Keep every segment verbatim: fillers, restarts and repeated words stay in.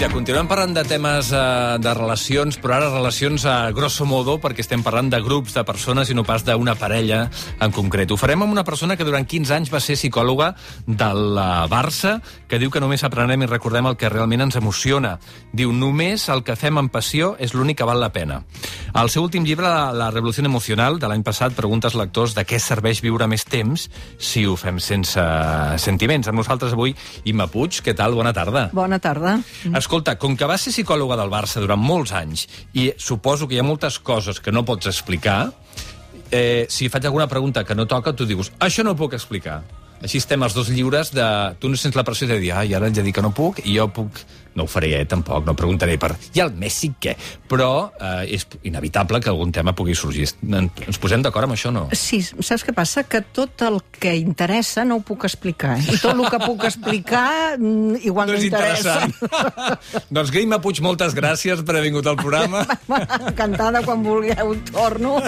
Mira, continuem parlant de temes eh, de relacions, però ara relacions a grosso modo, perquè estem parlant de grups de persones i no pas d'una parella en concret. Ho farem amb una persona que durant quinze anys va ser psicòloga del Barça, que diu que només aprenem i recordem el que realment ens emociona. Diu, només el que fem amb passió és l'únic que val la pena. Al seu últim llibre, La, la revolució emocional, de l'any passat, pregunta als lectors de què serveix viure més temps si ho fem sense sentiments. Amb nosaltres avui, Imma Puig. Què tal? Bona tarda. Bona tarda. Escolta, com que vas ser psicòloga del Barça durant molts anys i suposo que hi ha moltes coses que no pots explicar, eh, si faig alguna pregunta que no toca, tu dius, això no ho puc explicar. Així estem els dos lliures de... Tu no sents la pressió de dir, ai, ara ja dic que no puc, i jo puc... No ho faré, eh, tampoc, no preguntaré per... I el Messi, què? Però eh, és inevitable que algun tema pugui sorgir. Ens posem d'acord amb això, no? Sí, saps què passa? Que tot el que interessa no ho puc explicar. Eh? I tot el que puc explicar igual no, no interessa. Doncs Imma Puig, moltes gràcies per haver vingut al programa. Encantada, quan vulgueu, torno.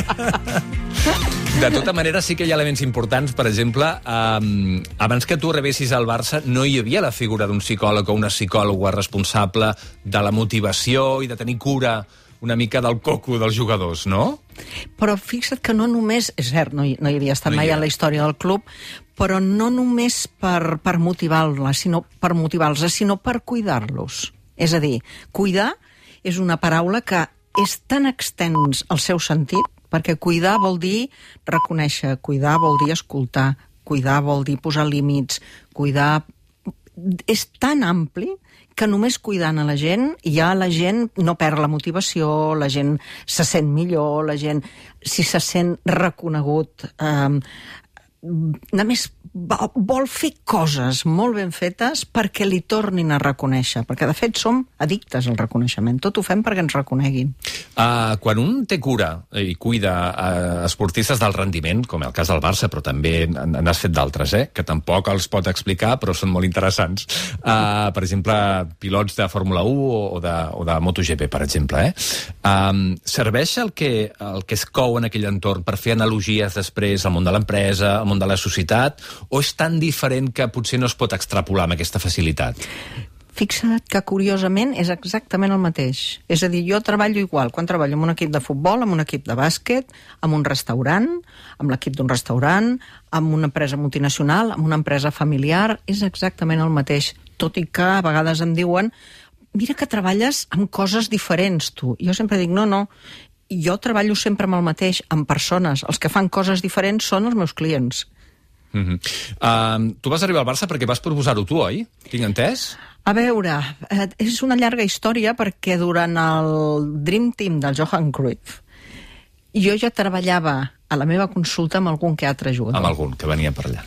De tota manera, sí que hi ha elements importants. Per exemple, eh, abans que tu rebessis al Barça, no hi havia la figura d'un psicòleg o una psicòloga responsable de la motivació i de tenir cura una mica del coco dels jugadors, no? Però fixa't que no només... És cert, no hi, no hi havia estat no mai en la història del club, però no només per, per motivar-la, sinó per motivar-los, sinó per cuidar-los. És a dir, cuidar és una paraula que és tan extens al seu sentit, perquè cuidar vol dir reconèixer, cuidar vol dir escoltar, cuidar vol dir posar límits, cuidar... És tan ampli que només cuidant a la gent, ja la gent no perd la motivació, la gent se sent millor, la gent, si se sent reconegut, eh, només vol fer coses molt ben fetes perquè li tornin a reconèixer, perquè de fet som addictes al reconeixement, tot ho fem perquè ens reconeguin. Uh, quan un té cura i cuida uh, esportistes del rendiment, com el cas del Barça, però també n'has fet d'altres, eh? Que tampoc els pot explicar, però són molt interessants. Uh, per exemple, pilots de Fórmula u o de, o de MotoGP, per exemple. Eh? Um, serveix el que, el que es cou en aquell entorn per fer analogies després al món de l'empresa, al món de la societat, o és tan diferent que potser no es pot extrapolar amb aquesta facilitat? Fixa't que, curiosament, és exactament el mateix. És a dir, jo treballo igual quan treballo en un equip de futbol, en un equip de bàsquet, en un restaurant, amb l'equip d'un restaurant, amb una empresa multinacional, amb una empresa familiar, és exactament el mateix. Tot i que a vegades em diuen, mira que treballes amb coses diferents, tu. Jo sempre dic, no, no, jo treballo sempre amb el mateix, amb persones. Els que fan coses diferents són els meus clients. Mm-hmm. uh, tu vas arribar al Barça perquè vas proposar-ho tu, oi? Tinc entès? A veure, eh, és una llarga història perquè durant el Dream Team del Johan Cruyff jo ja treballava a la meva consulta amb algun que altre jugador. Amb algun que venia per allà.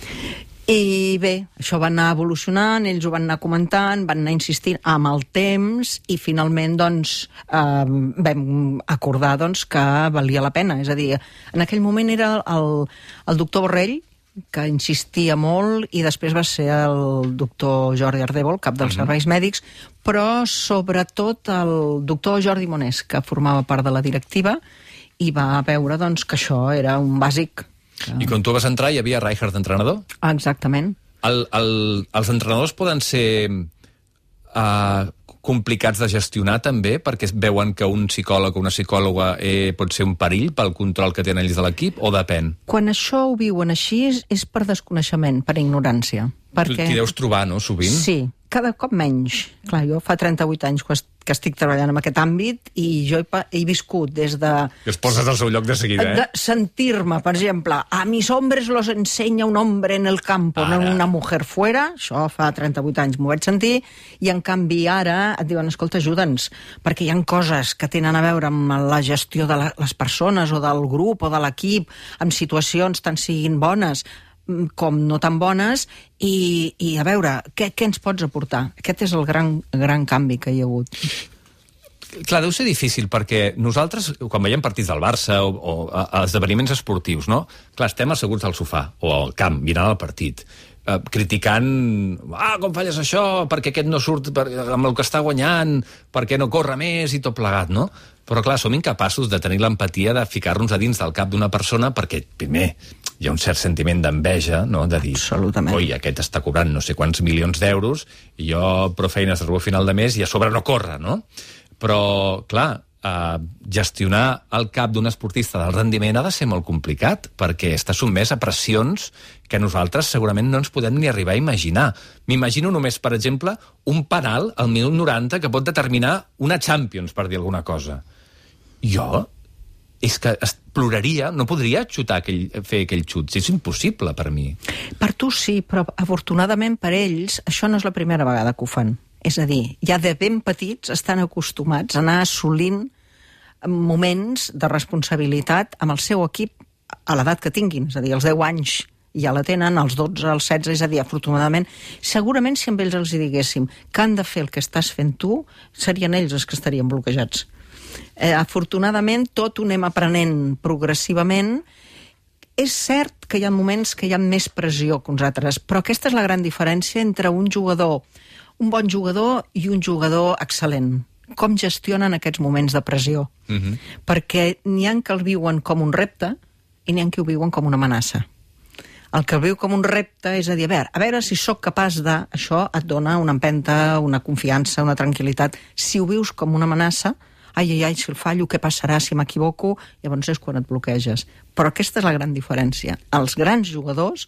I bé, això va anar evolucionant, ells ho van anar comentant, van anar insistint amb el temps i finalment doncs, eh, vam acordar doncs, que valia la pena. És a dir, en aquell moment era el, el doctor Borrell, que insistia molt, i després va ser el doctor Jordi Ardèvol, cap dels uh-huh. serveis mèdics, però sobretot el doctor Jordi Monés, que formava part de la directiva, i va veure doncs, que això era un bàsic. Que... I quan tu vas entrar hi havia Rijkaard d'entrenador? Exactament. El, el, els entrenadors poden ser uh, complicats de gestionar també, perquè veuen que un psicòleg o una psicòloga eh, pot ser un perill pel control que tenen ells de l'equip, o depèn? Quan això ho viuen així és, és per desconeixement, per ignorància. Perquè... Tu t'hi deus trobar, no?, sovint? Sí, cada cop menys. Clar, jo fa trenta-vuit anys que estic treballant en aquest àmbit i jo he, he viscut des de... I es poses al seu lloc de seguida, eh? De sentir-me, per exemple, a mis hombres los enseña un hombre en el campo, ara. No una mujer fuera, això fa trenta-vuit anys m'ho vaig sentir, i en canvi ara et diuen, escolta, ajuda'ns, perquè hi ha coses que tenen a veure amb la gestió de la, les persones o del grup o de l'equip, amb situacions tant siguin bones com no tan bones, i, i a veure, què, què ens pots aportar? Aquest és el gran, gran canvi que hi ha hagut. Clar, deu ser difícil, perquè nosaltres, quan veiem partits del Barça o, o a, a esdeveniments esportius, no? Clar, estem asseguts al sofà o al camp, mirant el partit, eh, criticant, ah, com falles això, perquè aquest no surt per, amb el que està guanyant, perquè no corre més i tot plegat, no? Però clar, som incapaços de tenir l'empatia de ficar-nos a dins del cap d'una persona perquè, primer, hi ha un cert sentiment d'enveja, no?, de dir, absolutament, oi, aquest està cobrant no sé quants milions d'euros i jo prou feines arribo a final de mes i a sobre no corre, no? Però, clar, eh, gestionar el cap d'un esportista del rendiment ha de ser molt complicat perquè està sotmès a pressions que nosaltres segurament no ens podem ni arribar a imaginar. M'imagino només, per exemple, un penal al minut noranta que pot determinar una Champions, per dir alguna cosa. Jo és que es ploraria, no podria xutar aquell, fer aquell xut. És impossible per mi. Per tu sí, però afortunadament per ells això no és la primera vegada que ho fan. És a dir, ja de ben petits estan acostumats a anar assolint moments de responsabilitat amb el seu equip a l'edat que tinguin. És a dir, als deu anys ja la tenen, als dotze, als setze, és a dir, afortunadament, segurament si amb ells els hi diguéssim que han de fer el que estàs fent tu, serien ells els que estarien bloquejats. Eh, afortunadament, tot ho anem aprenent progressivament. És cert que hi ha moments que hi ha més pressió que uns altres, però aquesta és la gran diferència entre un jugador, un bon jugador i un jugador excel·lent. Com gestionen aquests moments de pressió. Uh-huh. Perquè n'hi ha que el viuen com un repte i n'hi ha que ho viuen com una amenaça. El que el viu com un repte és a dir, a veure, a veure si sóc capaç de... Això et dona una empenta, una confiança, una tranquil·litat. Si ho vius com una amenaça, ai, ai, ai, si el fallo, què passarà si m'equivoco? Llavors és quan et bloqueges. Però aquesta és la gran diferència. Els grans jugadors,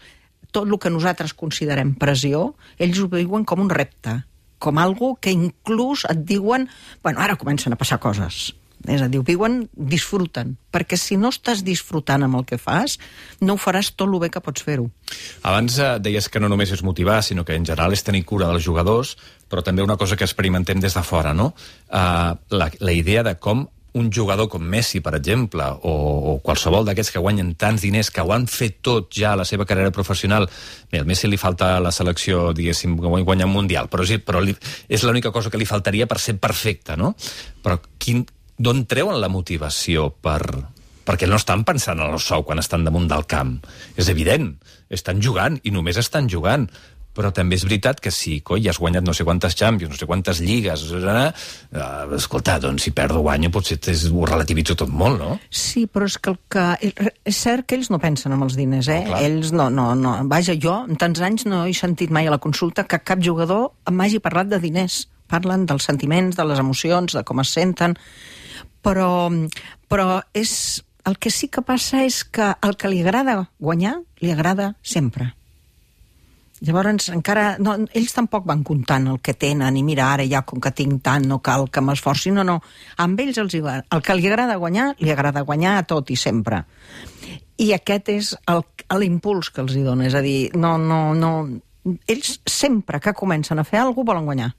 tot el que nosaltres considerem pressió, ells ho viuen com un repte, com algo que inclús et diuen, bueno, ara comencen a passar coses. És a dir, ho viuen, disfruten. Perquè si no estàs disfrutant amb el que fas, no ho faràs tot el bé que pots fer-ho. Abans eh, deies que no només és motivar, sinó que en general és tenir cura dels jugadors, però també una cosa que experimentem des de fora, no? Uh, la, la idea de com un jugador com Messi, per exemple, o, o qualsevol d'aquests que guanyen tants diners, que ho han fet tot ja a la seva carrera professional. Bé, al Messi li falta la selecció, diguéssim, guanyar un mundial, però, sí, però li, és l'única cosa que li faltaria per ser perfecte, no? Però quin, d'on treuen la motivació per... Perquè no estan pensant en el sou quan estan damunt del camp. És evident, estan jugant i només estan jugant. Però també és veritat que si, coi, has guanyat no sé quantes Champions, no sé quantes lligues, eh, escolta, doncs si perdo o guanyo potser ho relativitzo tot molt, no? Sí, però és que el que... És cert que ells no pensen en els diners, eh? Oh, ells no, no, no... Vaja, jo en tants anys no he sentit mai a la consulta que cap jugador m'hagi parlat de diners. Parlen dels sentiments, de les emocions, de com es senten, però, però és... El que sí que passa és que el que li agrada guanyar, li agrada sempre. Llavors, encara... No, ells tampoc van comptant el que tenen i mira, ara ja com que tinc tant no cal que m'esforci. No, no. Amb ells els, el que li agrada guanyar, li agrada guanyar a tot i sempre. I aquest és l'impuls que els hi dona. És a dir, no, no, no... Ells sempre que comencen a fer alguna cosa volen guanyar.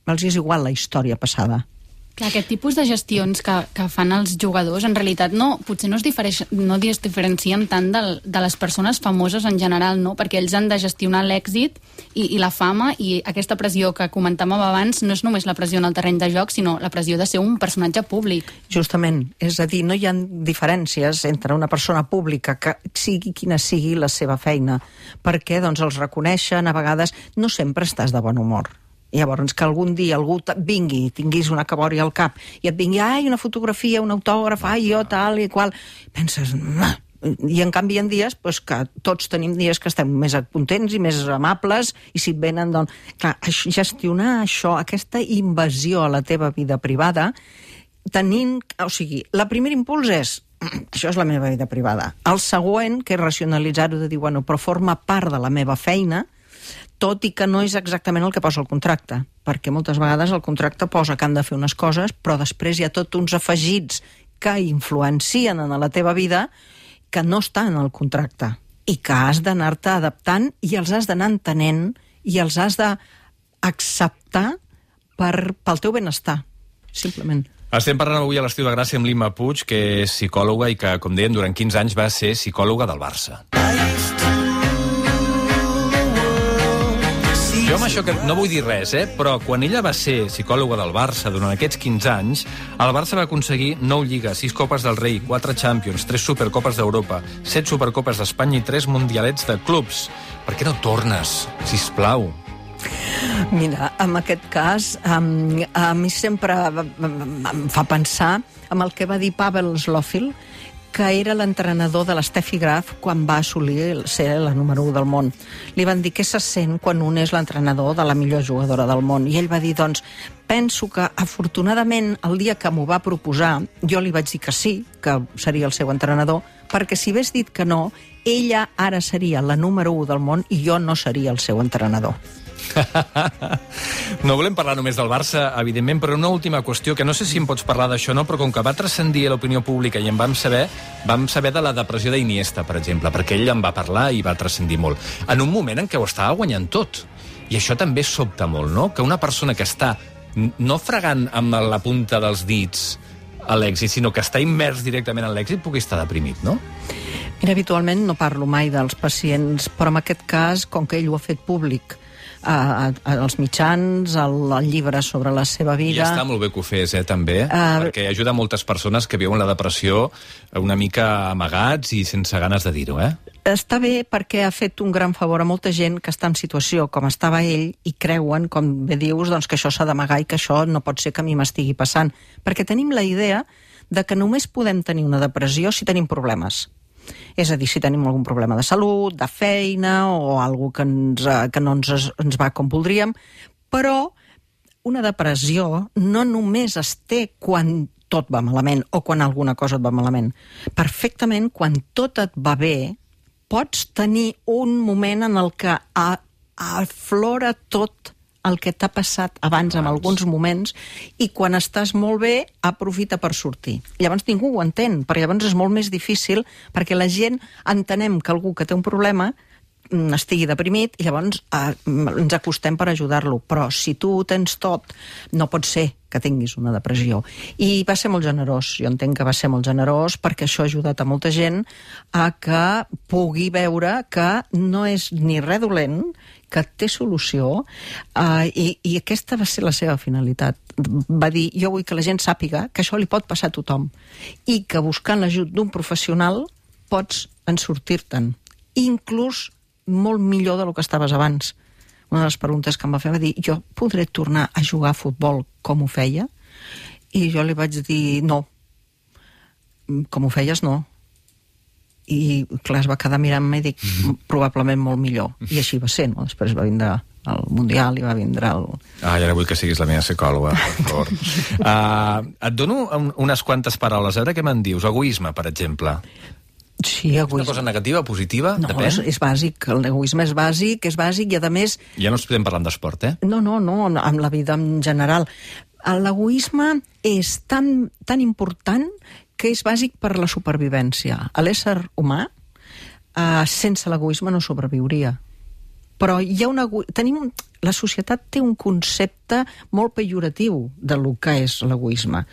Els és igual la història passada. Clar, aquest tipus de gestions que, que fan els jugadors, en realitat no, potser no es, difereix, no es diferencien tant de, de les persones famoses en general, no? Perquè ells han de gestionar l'èxit i, i la fama, i aquesta pressió que comentàvem abans no és només la pressió en el terreny de joc, sinó la pressió de ser un personatge públic. Justament, és a dir, no hi ha diferències entre una persona pública que sigui quina sigui la seva feina, perquè doncs, els reconeixen, a vegades no sempre estàs de bon humor. Llavors, que algun dia algú vingui i tinguis una cabòria al cap i et vingui, ai, una fotografia, un autògraf, ai, jo, tal i qual, penses, nah. I en canvi hi ha dies pues, que tots tenim dies que estem més contents i més amables, i si et venen, doncs... Clar, gestionar això, aquesta invasió a la teva vida privada, tenint... O sigui, la primer impuls és, això és la meva vida privada. El següent, que és racionalitzar-ho, de dir, bueno, però forma part de la meva feina, tot i que no és exactament el que posa el contracte, perquè moltes vegades el contracte posa que han de fer unes coses, però després hi ha tots uns afegits que influencien en la teva vida que no està en el contracte i que has d'anar-te adaptant i els has d'anar entenent i els has d'acceptar per, pel teu benestar, simplement. Estem parlant avui a l'Estiu de Gràcia amb l'Imma Puig, que és psicòloga i que, com deien, durant quinze anys va ser psicòloga del Barça. Jo amb això que no vull dir res, eh? Però quan ella va ser psicòloga del Barça durant aquests quinze anys, el Barça va aconseguir nou lligues, sis copes del rei, quatre Champions, tres supercopes d'Europa, set supercopes d'Espanya i tres mundialets de clubs. Per què no tornes, sisplau? Mira, en aquest cas, um, a mi sempre em fa pensar en el que va dir Pavel Zlofil, que era l'entrenador de l'Steffi Graf quan va assolir ser la número u del món. Li van dir què se sent quan un és l'entrenador de la millor jugadora del món. I ell va dir, doncs, penso que afortunadament el dia que m'ho va proposar jo li vaig dir que sí, que seria el seu entrenador, perquè si hagués dit que no, ella ara seria la número u del món i jo no seria el seu entrenador. No volem parlar només del Barça, evidentment, però una última qüestió, que no sé si em pots parlar d'això o no, però com que va transcendir a l'opinió pública i en vam saber, vam saber de la depressió d'Iniesta, per exemple, perquè ell en va parlar i va transcendir molt. En un moment en què ho estava guanyant tot. I això també sobta molt, no? Que una persona que està no fregant amb la punta dels dits a l'èxit, sinó que està immers directament en l'èxit, pugui estar deprimit, no? Mira, habitualment no parlo mai dels pacients, però en aquest cas, com que ell ho ha fet públic, A, a, als mitjans, al, al llibre sobre la seva vida... I està molt bé que ho fes, eh, també, uh, perquè ajuda moltes persones que viuen la depressió una mica amagats i sense ganes de dir-ho, eh? Està bé perquè ha fet un gran favor a molta gent que està en situació com estava ell i creuen, com bé dius, doncs, que això s'ha d'amagar i que això no pot ser que a mi m'estigui passant. Perquè tenim la idea de que només podem tenir una depressió si tenim problemes. És a dir, si tenim algun problema de salut, de feina o alguna que, ens, que no ens, ens va com voldríem, però una depressió no només es té quan tot va malament o quan alguna cosa et va malament. Perfectament, quan tot et va bé, pots tenir un moment en el que aflora tot el que t'ha passat abans en alguns moments i quan estàs molt bé, aprofita per sortir. Llavors ningú ho entén, perquè llavors és molt més difícil, perquè la gent entenem que algú que té un problema estigui deprimit i llavors eh, ens acostem per ajudar-lo. Però si tu ho tens tot, no pot ser que tinguis una depressió. I va ser molt generós, jo entenc que va ser molt generós perquè això ha ajudat a molta gent a que pugui veure que no és ni res dolent, que té solució, eh, i, i aquesta va ser la seva finalitat. Va dir, jo vull que la gent sàpiga que això li pot passar a tothom i que buscant l'ajut d'un professional pots en sortir-te'n, inclús molt millor del que estaves abans. Una de les preguntes que em va fer va dir, jo podré tornar a jugar a futbol com ho feia? I jo li vaig dir, no. Com ho feies, no. I clar, es va quedar mirant-me i dic, probablement molt millor. I així va ser, no? Després va vindre el Mundial i va vindre el... Ah, i ara vull que siguis la meva psicòloga, per favor. uh, et dono un, unes quantes paraules, a veure què me'n dius. Egoisme, per exemple. Sí, egoisme. És una cosa negativa, positiva? No, depèn? és, és bàsic. L'egoisme és bàsic, és bàsic i, a més... Ja no estem parlant d'esport, eh? No, no, no, amb la vida en general. L'egoisme és tan, tan important que és bàsic per la supervivència. L'ésser humà, eh, sense l'egoisme no sobreviuria. Però hi ha una... Tenim, la societat té un concepte molt pejoratiu de lo que és l'egoisme.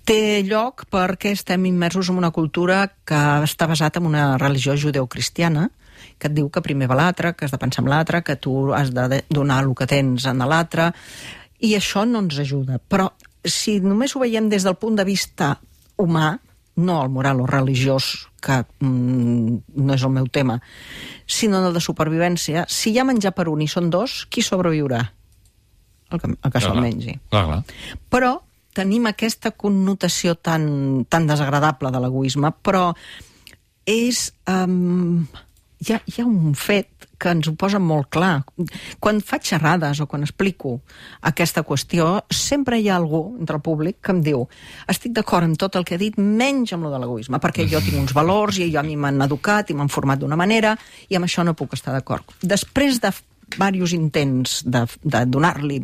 Té lloc perquè estem immersos en una cultura que està basada en una religió judeocristiana, que et diu que primer va l'altre, que has de pensar en l'altre, que tu has de donar el que tens a l'altre, i això no ens ajuda. Però si només ho veiem des del punt de vista humà, no el moral o religiós, que mm, no és el meu tema, sinó el de supervivència, si hi ha menjar per un i són dos, qui sobreviurà? El que, el que se'l mengi. Clar, clar. Però tenim aquesta connotació tan, tan desagradable de l'egoisme, però és... Um, hi, ha, hi ha un fet que ens ho posa molt clar. Quan faig xerrades o quan explico aquesta qüestió, sempre hi ha algú entre el públic que em diu estic d'acord amb tot el que he dit, menys amb lo de l'egoisme, perquè jo tinc uns valors i jo a mi m'han educat i m'han format d'una manera i amb això no puc estar d'acord. Després de diversos intents de, de donar-li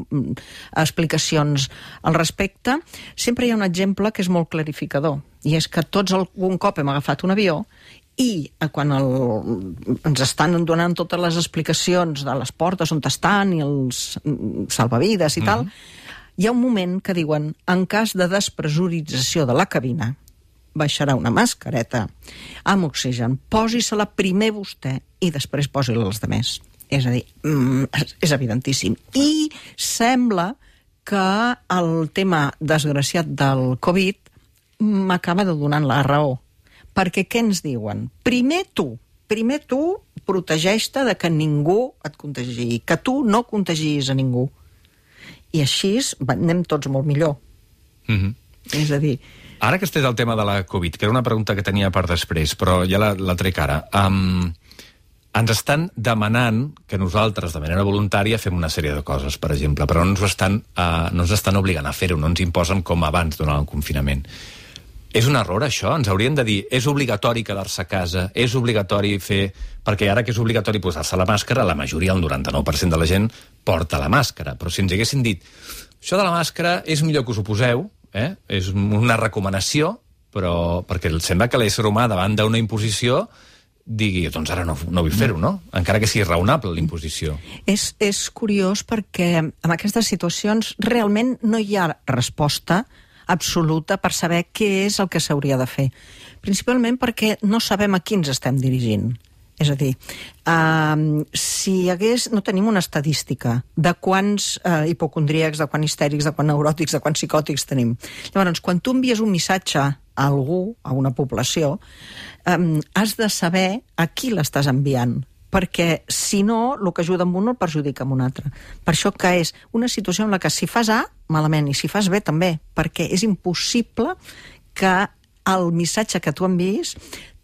explicacions al respecte, sempre hi ha un exemple que és molt clarificador, i és que tots algun cop hem agafat un avió i quan el, ens estan donant totes les explicacions de les portes on estan i els salvavides i mm-hmm. tal, hi ha un moment que diuen, en cas de despressurització de la cabina, baixarà una mascareta amb oxigen, posi-se-la primer vostè i després posi-la als altres. És a dir, és evidentíssim. I sembla que el tema desgraciat del Covid m'acaba de donar la raó. Perquè què ens diuen? Primer tu, primer tu protegeix-te de que ningú et contagi, que tu no contagiïs a ningú. I així anem tots molt millor. Mhm. És a dir... Ara que estàs al tema de la Covid, que era una pregunta que tenia per després, però ja la, la trec ara... Um, ens estan demanant que nosaltres, de manera voluntària, fem una sèrie de coses, per exemple, però no ens, estan, uh, no ens estan obligant a fer-ho, no ens imposen com abans durant el confinament. És un error, això? Ens haurien de dir és obligatori quedar-se a casa, és obligatori fer... Perquè ara que és obligatori posar-se la màscara, la majoria, el noranta-nou per cent de la gent, porta la màscara. Però si ens haguessin dit això de la màscara és millor que us ho poseu, eh? És una recomanació, però perquè sembla que l'ésser humà davant d'una imposició digui, doncs ara no, no vull fer-ho, no? Encara que sigui raonable l'imposició. És, és curiós perquè en aquestes situacions realment no hi ha resposta absoluta per saber què és el que s'hauria de fer. Principalment perquè no sabem a qui ens estem dirigint. És a dir, uh, si hi hagués... No tenim una estadística de quants uh, hipocondríacs, de quants histèrics, de quants neuròtics, de quants psicòtics tenim. Llavors, quan tu envies un missatge a algú, a una població, um, has de saber a qui l'estàs enviant, perquè si no, el que ajuda amb un no el perjudica amb un altre. Per això que és una situació en la que si fas A, malament, i si fas B també, perquè és impossible que el missatge que tu enviïs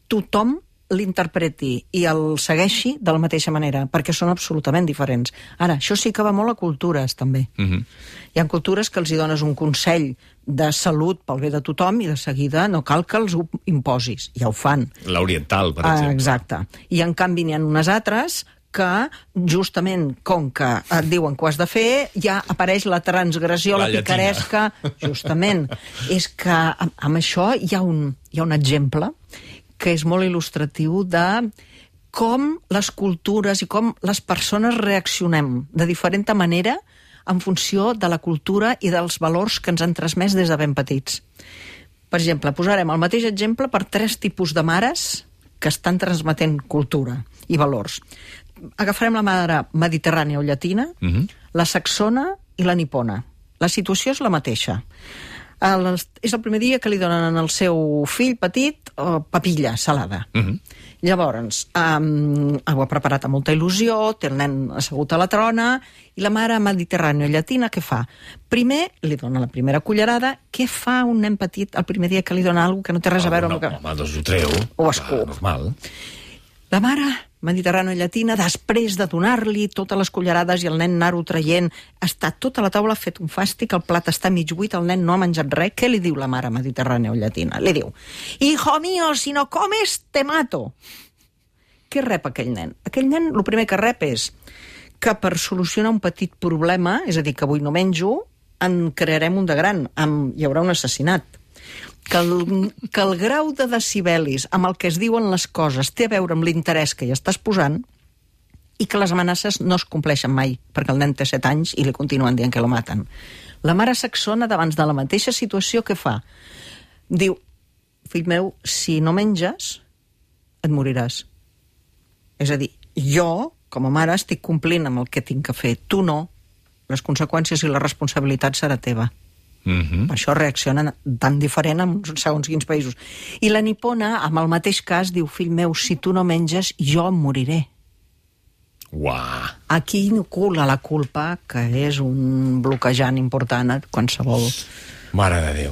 tothom l'interpreti i el segueixi de la mateixa manera, perquè són absolutament diferents. Ara, això sí que va molt a cultures, també. Uh-huh. Hi ha cultures que els hi dones un consell de salut pel bé de tothom i de seguida no cal que els ho imposis. Ja ho fan. L'oriental, per exemple. Ah, exacte. I en canvi n'hi ha unes altres que justament com que et diuen que ho has de fer, ja apareix la transgressió, la, la picaresca. Justament. És que amb, amb això hi ha un, hi ha un exemple que és molt il·lustratiu de com les cultures i com les persones reaccionem de diferent manera en funció de la cultura i dels valors que ens han transmès des de ben petits. Per exemple, posarem el mateix exemple per tres tipus de mares que estan transmetent cultura i valors. Agafarem la mare mediterrània o llatina, uh-huh. la saxona i la nipona. La situació és la mateixa. El, és el primer dia que li donen al seu fill petit uh, papilla salada. Uh-huh. Llavors, um, ho ha preparat amb molta il·lusió, té el nen assegut a la trona, i la mare mediterrània llatina què fa? Primer li dona la primera cullerada. Què fa un nen petit el primer dia que li dona alguna cosa que no té res a veure no, amb... No, home, doncs ho treu. O escup. Normal. La mare mediterrània llatina, després de donar-li totes les cullerades i el nen anar-ho traient, està tota la taula fet un fàstic, el plat està mig buit, el nen no ha menjat res. Què li diu la mare mediterrània llatina? Li diu, hijo mío, si no comes, te mato. Què rep aquell nen? Aquell nen, el primer que rep és que per solucionar un petit problema, és a dir, que avui no menjo, en crearem un de gran, amb, hi haurà un assassinat. Que el, que el grau de decibelis amb el que es diuen les coses té a veure amb l'interès que hi estàs posant i que les amenaces no es compleixen mai, perquè el nen té set anys i li continuen dient que lo maten. La mare saxona, davant de la mateixa situació, què fa? Diu, fill meu, si no menges, et moriràs. És a dir, jo, com a mare, estic complint amb el que tinc que fer. Tu no. Les conseqüències i la responsabilitat serà teva. Uh-huh. Per això reaccionen tan diferent en segons quins països. I la nipona, amb el mateix cas, diu, fill meu, si tu no menges, jo em moriré. Uah. Aquí inocula la culpa, que és un bloquejant important a qualsevol... Mare de Déu.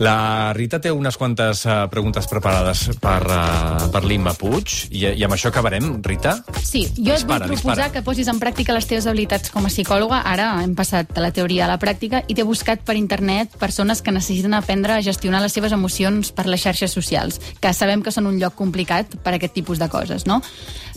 La Rita té unes quantes uh, preguntes preparades per, uh, per l'Imma Puig, i, i amb això acabarem, Rita? Sí, jo et dispara, vull proposar dispara. que posis en pràctica les teves habilitats com a psicòloga. Ara hem passat de la teoria a la pràctica i t'he buscat per internet persones que necessiten aprendre a gestionar les seves emocions per les xarxes socials, que sabem que són un lloc complicat per a aquest tipus de coses, no?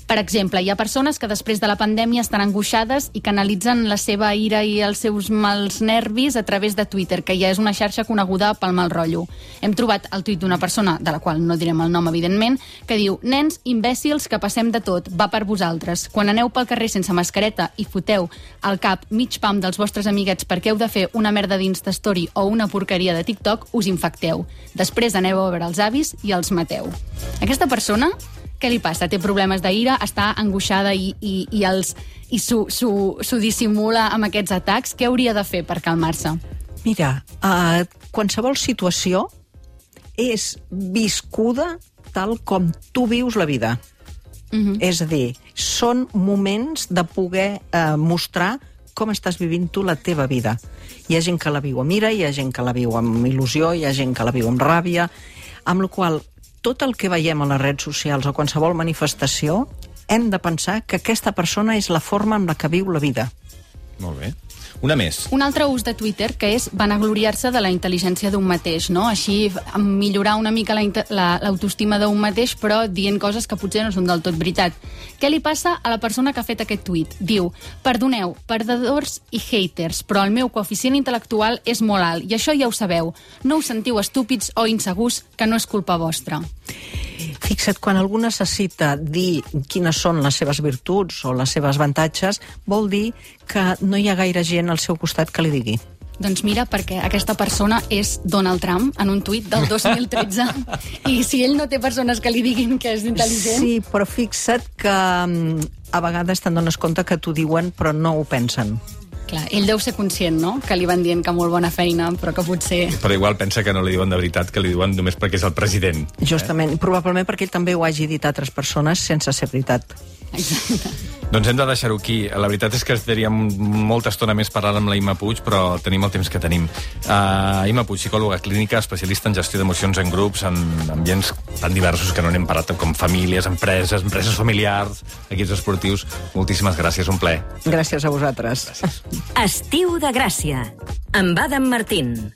Per exemple, hi ha persones que després de la pandèmia estan angoixades i canalitzen la seva ira i els seus mals nervis a través de Twitter, que ja és una xarxa coneguda pel mal rotllo. Hem trobat el tuit d'una persona, de la qual no direm el nom, evidentment, que diu: nens imbècils que passem de tot, va per vosaltres. Quan aneu pel carrer sense mascareta i foteu al cap mig pam dels vostres amiguets perquè heu de fer una merda d'Instastory o una porqueria de TikTok, us infecteu. Després aneu a veure els avis i els mateu. Aquesta persona... Què li passa? Té problemes d'ira, està angoixada i, i, i, els, i s'ho dissimula amb aquests atacs. Què hauria de fer per calmar-se? Mira, uh, qualsevol situació és viscuda tal com tu vius la vida. Uh-huh. És a dir, són moments de poder uh, mostrar com estàs vivint tu la teva vida. Hi ha gent que la viu amb ira, hi ha gent que la viu amb il·lusió, hi ha gent que la viu amb ràbia, amb la qual tot el que veiem a les redes socials o qualsevol manifestació hem de pensar que aquesta persona és la forma amb la que viu la vida. Molt bé. Una més. Un altre ús de Twitter, que és vanagloriar-se de la intel·ligència d'un mateix, no? Així, millorar una mica l'autoestima la, d'un mateix, però dient coses que potser no són del tot veritat. Què li passa a la persona que ha fet aquest tuit? Diu, perdoneu, perdedors i haters, però el meu coeficient intel·lectual és molt alt, i això ja ho sabeu. No us sentiu estúpids o insegurs, que no és culpa vostra. Fixa't, quan algú necessita dir quines són les seves virtuts o les seves avantatges, vol dir que no hi ha gaire gent al seu costat que li digui. Doncs mira, perquè aquesta persona és Donald Trump en un tuit del dos mil tretze i si ell no té persones que li diguin que és intel·ligent... Sí, però fixa't que a vegades te'n dones compte que t'ho diuen però no ho pensen. Clar, ell deu ser conscient, no?, que li van dient que molt bona feina, però que potser... Però igual pensa que no li diuen de veritat, que li diuen només perquè és el president. Justament, eh? Probablement perquè ell també ho hagi dit a altres persones sense ser veritat. Exacte. Doncs hem de deixar-ho aquí. La veritat és que estaríem molta estona més parlant amb la Imma Puig, però tenim el temps que tenim. Uh, Imma Puig, psicòloga clínica, especialista en gestió d'emocions en grups, en ambients tan diversos que no n'hem parlat, com famílies, empreses, empreses familiars, equips esportius. Moltíssimes gràcies, un plaer. Gràcies a vosaltres. Gràcies. Estiu de Gràcia, amb Adam Martín.